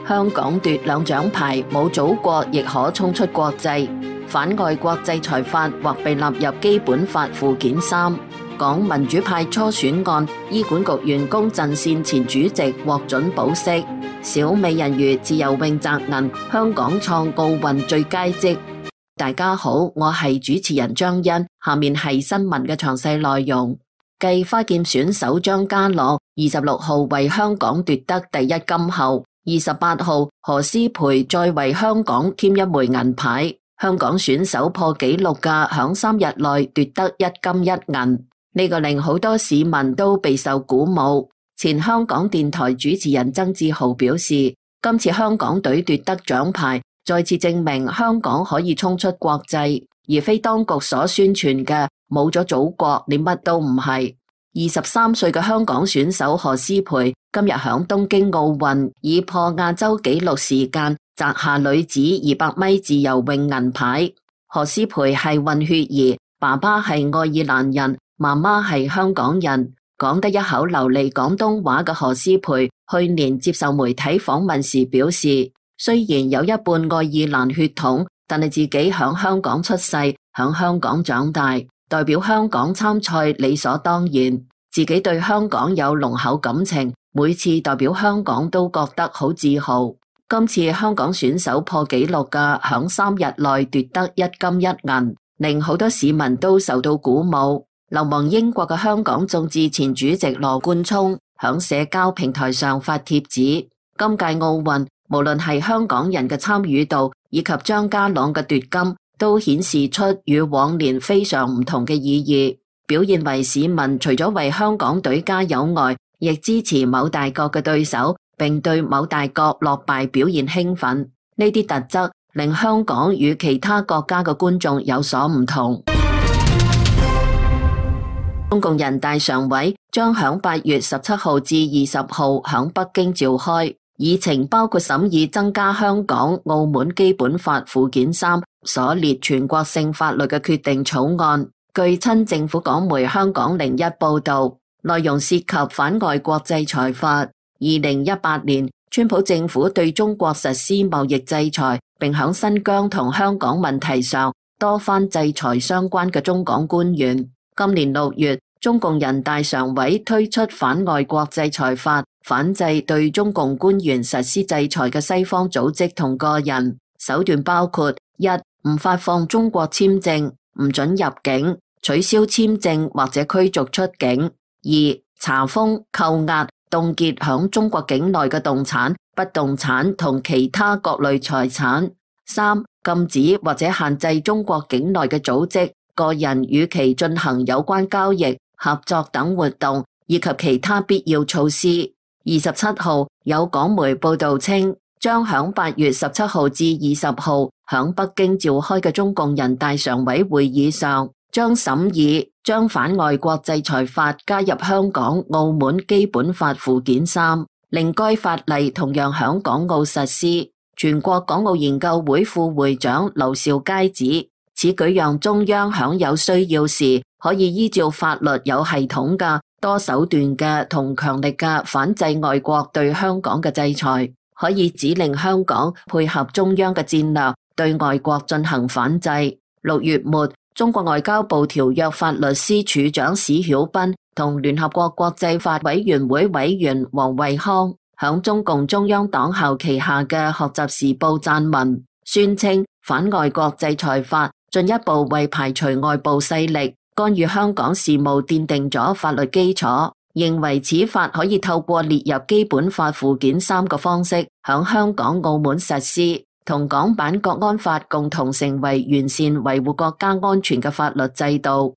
香港奪兩獎牌，冇祖國亦可衝出國際。反外國制裁法或被納入基本法附件3。港民主派初選案，醫管局員工陣線前主席獲准保釋。小美人魚自由泳摘銀，香港創奧運最佳績。大家好，我係主持人張欣，下面係新聞嘅詳細內容。繼花劍選手張家朗26號為香港奪得第一金後，28號何詩蓓再為香港添一枚銀牌，香港選手破紀錄嘅響3日內奪得一金一銀，呢個令好多市民都備受鼓舞。前香港電台主持人曾志豪表示，今次香港隊奪得獎牌，再次證明香港可以衝出國際，而非當局所宣傳嘅冇咗祖國你乜都唔係。23歲嘅香港選手何詩蓓今日響東京奧運以破亞洲紀錄時間摘下女子200米自由泳銀牌。何詩蓓係混血兒，爸爸係愛爾蘭人，媽媽係香港人，講得一口流利廣東話嘅何詩蓓去年接受媒體訪問時表示，雖然有一半愛爾蘭血統，但係自己響香港出世，響香港長大，代表香港參賽理所當然，自己對香港有濃厚感情，每次代表香港都覺得好自豪。今次香港選手破紀錄嘅響3日內奪得一金一銀，令好多市民都受到鼓舞。流亡英國嘅香港眾志前主席羅冠聰響社交平台上發帖指，今屆奧運無論係香港人嘅參與度以及張家朗嘅奪金，都顯示出與往年非常唔同嘅意義，表現為市民除咗為香港隊加油外，亦支持某大國嘅對手，並對某大國落敗表現興奮。呢啲特質令香港與其他國家嘅觀眾有所唔同。中共人大常委將響8月17號至20號響北京召開，議程包括審議增加香港、澳門基本法附件3所列全國性法律嘅決定草案。據親政府港媒香港01報道，內容涉及反外國制裁法。2018年，川普政府對中國實施貿易制裁，並響新疆同香港問題上多番制裁相關嘅中港官員。今年6月，中共人大常委推出反外國制裁法，反制對中共官員實施制裁嘅西方組織同個人，手段包括：1. 唔發放中國簽證，唔准入境，取消簽證或者驅逐出境； 2. 查封、扣押、凍結響中國境內嘅動產、不動產同其他各類財產； 3. 禁止或者限制中國境內嘅組織、個人與其進行有關交易、合作等活動，以及其他必要措施。27號有港媒報道稱，將響8月17號至20號響北京召開嘅中共人大常委會議上，將審議將反外國制裁法加入香港、澳門基本法附件3，令該法例同樣響港澳實施。全國港澳研究會副會長劉兆佳指，此舉讓中央響有需要時，可以依照法律有系統嘅、多手段嘅同強力嘅反制外國對香港嘅制裁，可以指令香港配合中央嘅戰略，對外國進行反制。6月末，中國外交部條約法律司處長史曉斌同聯合國國際法委員會委員王惠康響中共中央黨校旗下嘅學習時報撰文，宣稱反外國制裁法進一步為排除外部勢力干預香港事務奠定咗法律基礎，認為此法可以透過列入基本法附件3嘅方式響香港、澳門實施，同港版國安法共同成為完善維護國家安全嘅法律制度。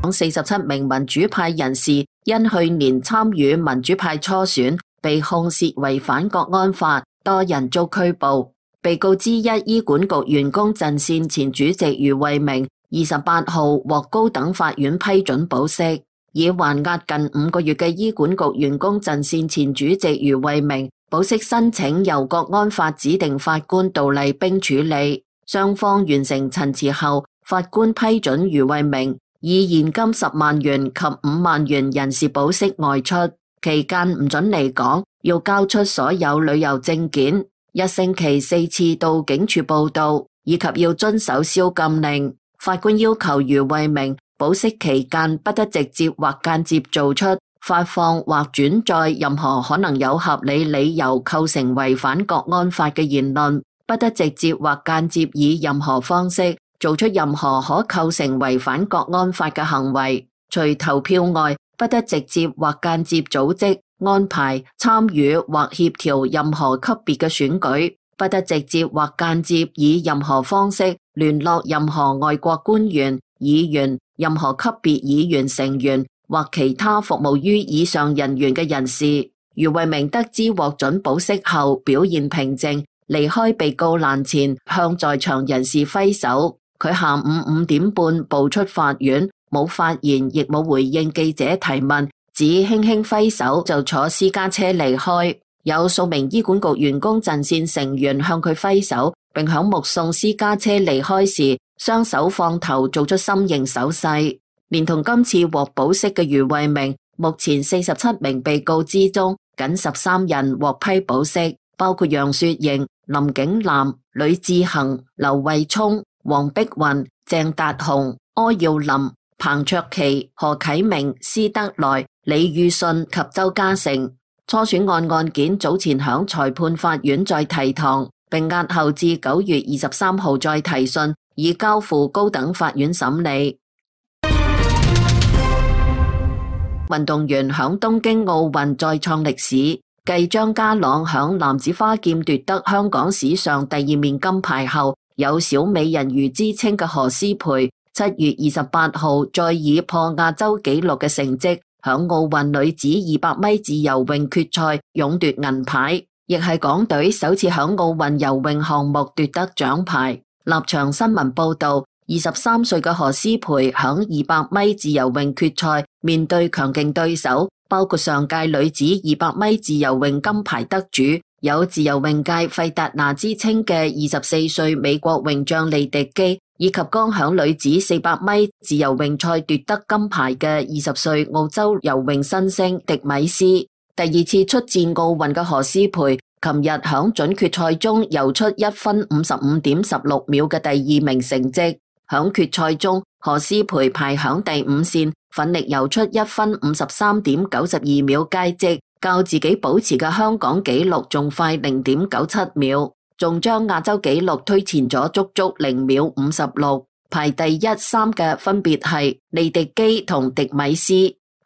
47名民主派人士因去年參與民主派初選，被控涉違反國安法，多人遭拘捕。被告之一醫管局員工陣線前主席余慧明28號獲高等法院批准保釋，已還押近5個月嘅醫管局員工陣線前主席余慧明保釋申請由國安法指定法官杜麗冰處理。雙方完成陳詞後，法官批准余慧明以現金10萬元及5萬元人事保釋外出，期間唔准離港，要交出所有旅遊證件，1星期4次到警署報到，以及要遵守宵禁令。法官要求余慧明保釋期間不得直接或間接做出發放或轉載任何可能有合理理由構成違反國安法嘅言論，不得直接或間接以任何方式做出任何可構成違反國安法嘅行為。除投票外，不得直接或間接組織、安排、參與或協調任何級別嘅選舉，不得直接或間接以任何方式聯絡任何外國官員、議員、任何級別議員成員或其他服務於以上人員嘅人士。余慧明得知獲准保釋後，表現平靜，離開被告欄前向在場人士揮手。佢下午5點半步出法院，冇發言，亦冇回應記者提問，只輕輕揮手就坐私家車離開。有數名醫管局員工陣線成員向佢揮手，並響目送私家車離開時，雙手放頭做出心形手勢。連同今次獲保釋嘅余慧明，目前47名被告之中，僅13人獲批保釋，包括楊雪盈、林景南、呂志恒、劉慧聰、黃碧雲、鄭達鴻、柯耀林、彭卓棋、何啟明、施德來、李宇信及周家成。初選案件早前響裁判法院再提堂，並押後至9月23號再提訊，以交付高等法院審理。運動員響東京奧運再創歷史，繼張家朗響男子花劍奪得香港史上第2面金牌後，有小美人魚之稱嘅何詩蓓7月28號再以破亞洲紀錄嘅成績，響奧運女子200米自由泳決賽勇奪銀牌，亦係港隊首次響奧運游泳項目奪得獎牌。立場新聞報道，23歲嘅何詩蓓響200米自由泳決賽面對強勁對手，包括上屆女子200米自由泳金牌得主，有自由泳界費達拿之稱嘅24歲美國泳將利迪基，以及剛響女子400米自由泳賽奪得金牌嘅20歲澳洲游泳新星迪米斯。第2次出戰奧運嘅何詩蓓，琴日響準決賽中游出1分55.16秒嘅第2名成績。響決賽中，何詩蓓排響第5線，奮力游出1分53.92秒佳績，較自己保持嘅香港紀錄仲快0.97秒，仲將亞洲紀錄推前咗足足0秒56。排第1、3嘅分別係利迪基同迪米斯。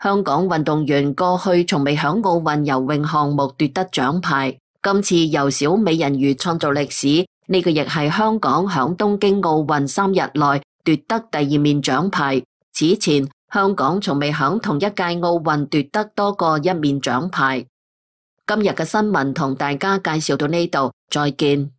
香港運動員過去從未響奧運游泳項目奪得獎牌，今次由小美人魚創造歷史。呢個亦係香港響東京奧運3日內奪得第2面獎牌。此前，香港從未響同一屆奧運奪得多過1面獎牌。今日嘅新聞同大家介紹到呢度，再見。